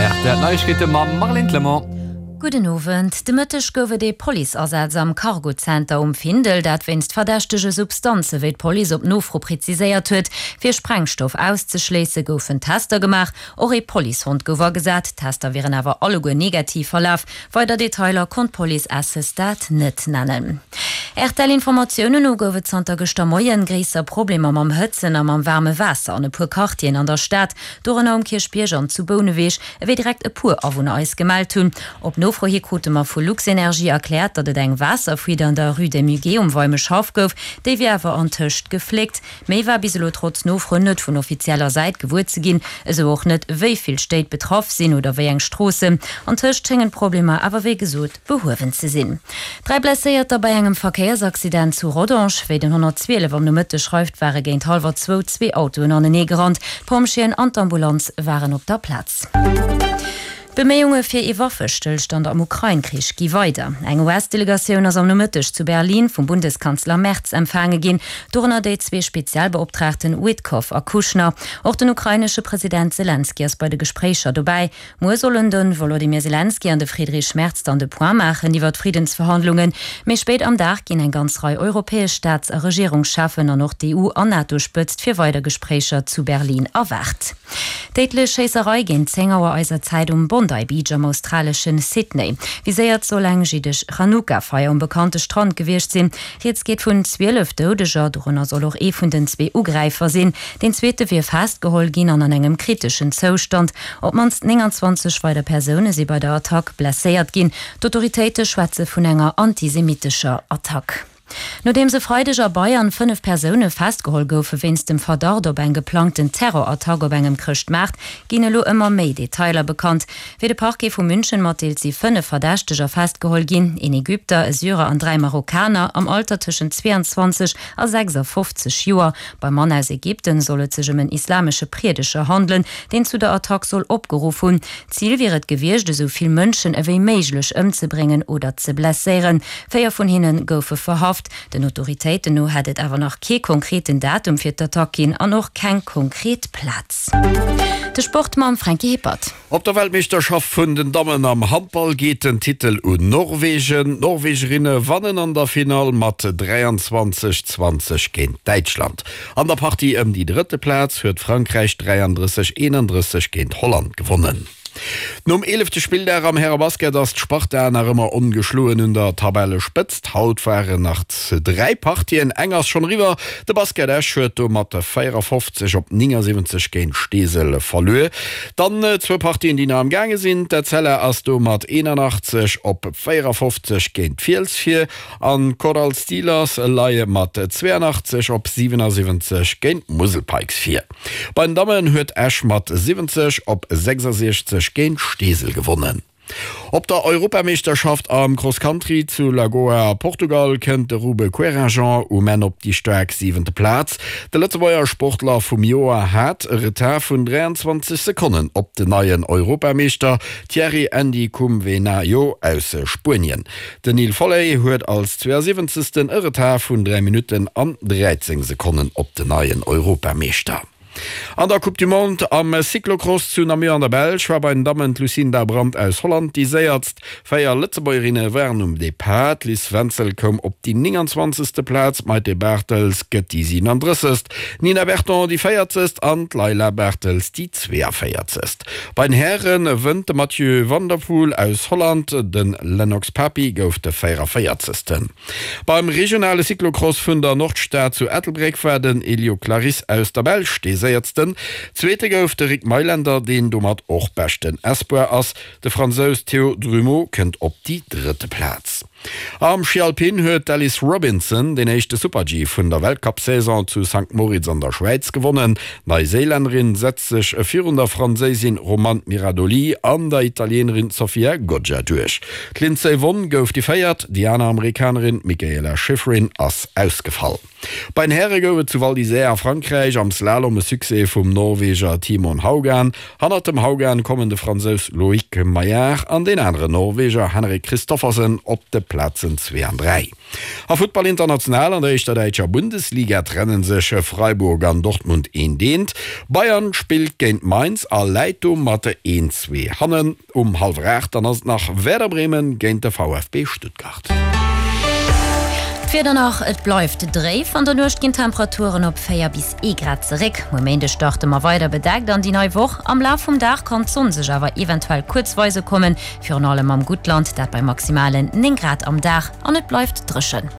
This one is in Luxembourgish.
Rtl Neiegkeete mam Marlène Clement. Gudden Owend. De Mëtteg gouf et ee Policeasaz am Cargo-Center um Findel, dat wéinst verdächtege Substanze wéi d'Police op Nofro präziséiert huet. Fir Sprengstoff auszeschléisse goufen Tester gemaach. Och ee Policehond gouf agesat. D'Tester wieren awer alleguer negativ verlaf. Weider Detailer konnt d'Police à ce stade net nennen. RTL-Informatiounen no gouf et zanter gëschter Moien gréisser Problemer mam Hëtzen a mam waarme Waasser an e puer Quartieren an der Stad, dorënner um Kierchbierg an zu Bouneweg, ewéi direkt e puer Awunner eis gemellt hunn. Op Nofro hi krute mer vu Luxenergie erkläert, datt et eng Waasserfuite an der Rue des Muguets um Weimeschhaff gouf, déi wier awer antëscht gefléckt. Méi war bis elo trotz Nofro net vun offizieller Säit gewuer ze ginn, esou och net, wéi vill Stéit betraff sinn oder wéi eng Stroossen. Antëscht schéngen d'Problemer awer wéi gesot behuewen ze sinn. 3 Blesséierter bei engem Verkéiersaccident zu Rodange. Wéi den 112 am Nomëtteg schreift, ware géint hallwer zwou zwee Autoen anenee gerannt. D'Pompjeeën an d'Ambulanz waren op der Plaz. D'Beméiunge fir ee Waffestëllstand am Ukrain-Krich gi weider. Eng US-Delegatioun ass am Nomëtteg zu Berlin vum Bundeskanzler Merz empfaange ginn, dorënner déi zwee Spezialbeoptraagten Witkoff a Kushner. Och den ukrainesche President Selenskyj ass bei de Gespréicher dobäi. Muer sollen de Wolodymyr Selenskyj an de Friedrich Merz dann de Point maachen iwwer d'Friddensverhandlungen. Méi spéit am Dag ginn eng ganz Rei europäesch Staats a Regierungscheffen an och d'EU an NATO-Spëtzt fir weider Gespréicher zu Berlin erwaart. Déidlech Schéisserei géint 10 Auer eiser Zäit um Bondi Beach am australeschen Sydney. Viséiert soll eng jiddesch Chanukka-Feier um bekannte Strand gewiescht sinn. Rieds geet vun 12 Doudeger, dorënner soll och ee vun den zwee Ugräifer sinn. Deen zweete wier festgeholl ginn an an engem kriteschen Zoustand. Op d'mannst 29 weider Persoune si bei der Attack blesséiert ginn. D'Autoritéite schwätze vun enger antisemitescher Attack. Nodeems e Freideg a Bayern 5 Persoune festgeholl goufe wéinst dem Verdacht op eng geplangten Terrorattack op engem Chrëschtmaart, ginn elo ëmmer méi Detailer bekannt. Wéi de Parquet vu München matdeelt, si 5 Verdächteger festgeholl ginn, een Ägypter, e Syrer an 3 Marokkaner am Alter tëschent 22 a 56 Joer. Beim Mann aus Ägypten soll et sech ëm en islamesche Priedeger handelen, deen zu der Attack soll opgeruff hunn. D'Zil wier et gewiescht, esou vill Mënschen ewéi méiglech ëmzebréngen oder ze blesséieren. Véier vun hinne goufe verhaft. Den Autoritéiten no hätt et awer nach kee konkreten Datum fir d'Attack ginn an och keng konkret Plaz. De Sport mam Franky Hippert. Op der Weltmeeschterschaft vun den Dammen am Handball geet den Titel un Norwegen. D'Norwegerinne wannen an der Finall mat 23, 20 géint Däitschland. An der Partie ëm déi drëtte Plaz huet Frankräich 33, 31 géint Holland gewonnen. Nom eelefte Spilldag am Härebasket ass d'Sparta nach ëmmer ongeschloen un der Tabellespëtzt. Haut waren nach 3 Partien, eng ass schonn eriwwer. De Basket Esch huet do mat 54 op 79 géint Steesel verluer. Dann zwou Partien, déi nach am gaange sinn. D'Etzella ass do mat 81 op 54 géint d'Fiels vir an d'Chorale Steelers leie mat 82 op 77 géint d'Musel Pikes vir. Bei den Dammen huet Esch mat 70 op 66 géint Steesel gewonnen. Op der Europameeschterschaft am Cross Country zu Lagoa a Portugal kënnt de Rube Querinjean um Enn op déi staark siwente Plaz. De Lëtzebuerger Sportler vum Joer hat e Retard vun 23 Sekonnen op den neien Europameeschter Thierry Ndikumwenayo aus Spuenien. Den Neil Folley huet als 72. e Retard vun 3 Minutten an 13 Sekonnen op den neien Europameeschter. An der Coupe du Monde am Cyclocross zu Namur an der Belsch war bei den Dammen d'Lucinda Brand aus Holland déi séierst. Véier Lëtzebuergerinne waren um Depart. D'Liz Wenzel koum op déi 29. Plaz, d'Maite Bartels gëtt déi 37., d'Nina Berton déi 40. An d'Layla Bartels déi 42. Bei den Häre wënnt de Mathieu van der Poel aus Holland, de Lennox Papi gouf de 44. Beim regionale Cyclocross vun der Nordstad zu Ettelbréck war den Elio Clarysse aus der Belsch dee Séiertsten. Zweete gouf de Rick Meylender, deen domat och beschten Espoir ass. De Fransous Théo Drumeau kënnt op déi drëtte Plaz. Am Schi Alpin huet d'Alice Robinson deen éischte Super-G vun der Weltcup-Saison zu Sankt Moritz an der Schwäiz gewonnen. D'Neiséilännerin setzt sech virun der Franséisin Romane Miradoli an der Italienerin Sofia Goggia duerch. D'Lindsey Vonn gouf déi Véiert, déi aner Amerikanerin Mikaela Shiffrin ass ausgefall. Bei den Häre gouf et zu Val d'Isère a Frankräich am Slalom e Succès vum Norweger Timon Haugan. Hannert dem Haugan kommen de Fransous Loïc Meillard an deen aneren Norweger Henrik Kristoffersen op de. d'Plazen 2 an 3. A Futtball international, An der éischter däitscher Bundesliga trenne sech Freiburg an Dortmund eent eent. Bayern spillt géint Mainz a läit domat 1, 2 hannen. Um hallwer 8 dann ass et nach Werder Bremen géint de VfB Stuttgart. D'Wieder nach, Et bleift dréif, an der Nuecht ginn d'Temperaturen op 4 bis ee Grad zeréck. Muer Méindeg starte mer weider bedeckt an déi nei Woch. Am Laf vum Dag kann d'Sonn sech awer eventuell kuerz weise kommen, virun allem am Guttland, dat bei maximalen 9 Grad am Dag, an et bleift dréchen.